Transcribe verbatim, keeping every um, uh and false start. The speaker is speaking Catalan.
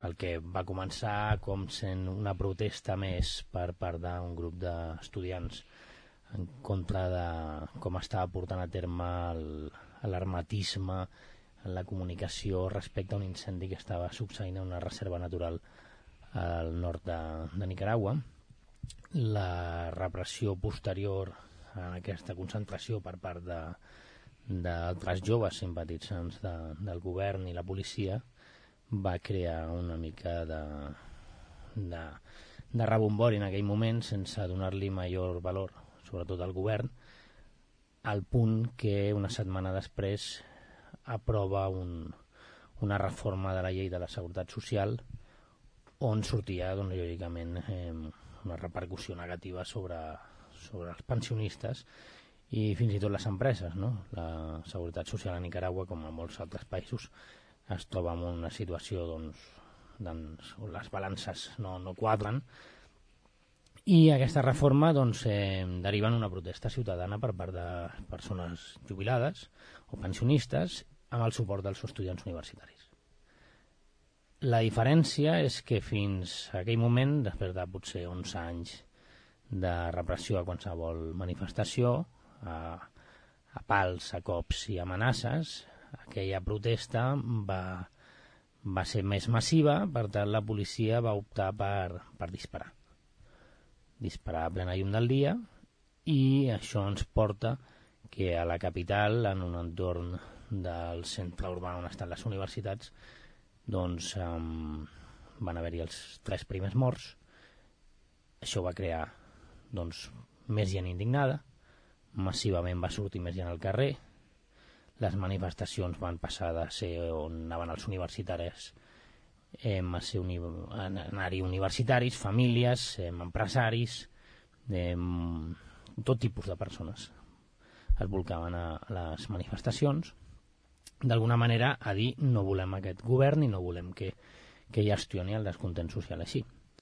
el que va començar com sent una protesta més per part d'un grup d'estudiants en contra de com estava portant a terme l'alarmatisme en la comunicació respecte a un incendi que estava succeint a una reserva natural al nord de, de Nicaragua. La repressió posterior a aquesta concentració per part de, d'altres joves simpatitzants de, del govern i la policia va crear una mica de, de, de rebombori en aquell moment sense donar-li major valor, sobretot al govern, al punt que una setmana després aprova un, una reforma de la llei de la Seguretat Social on sortia, doncs, lògicament, eh, una repercussió negativa sobre, sobre els pensionistes i fins i tot les empreses, no? La Seguretat Social a Nicaragua, com a molts altres països, es troba en una situació doncs, doncs, on les balances no, no quadren, i aquesta reforma doncs, eh, deriva en una protesta ciutadana per part de persones jubilades o pensionistes amb el suport dels estudiants universitaris. La diferència és que fins a aquell moment, després de potser onze anys de repressió a qualsevol manifestació, a, a pals, a cops i amenaces, aquella protesta va, va ser més massiva, per tant la policia va optar per, per disparar. Disparar a plena llum del dia, i això ens porta que a la capital, en un entorn del centre urbà on estan les universitats, doncs um, van haver-hi els tres primers morts. Això va crear doncs, més gent indignada, massivament va sortir més gent al carrer, les manifestacions van passar de ser on anaven els universitaris eh, a ser uni anar-hi universitaris, famílies, eh, empresaris, eh, tot tipus de persones es volcaven a les manifestacions, d'alguna manera a dir no volem aquest govern i no volem que, que gestioni el descontent social així.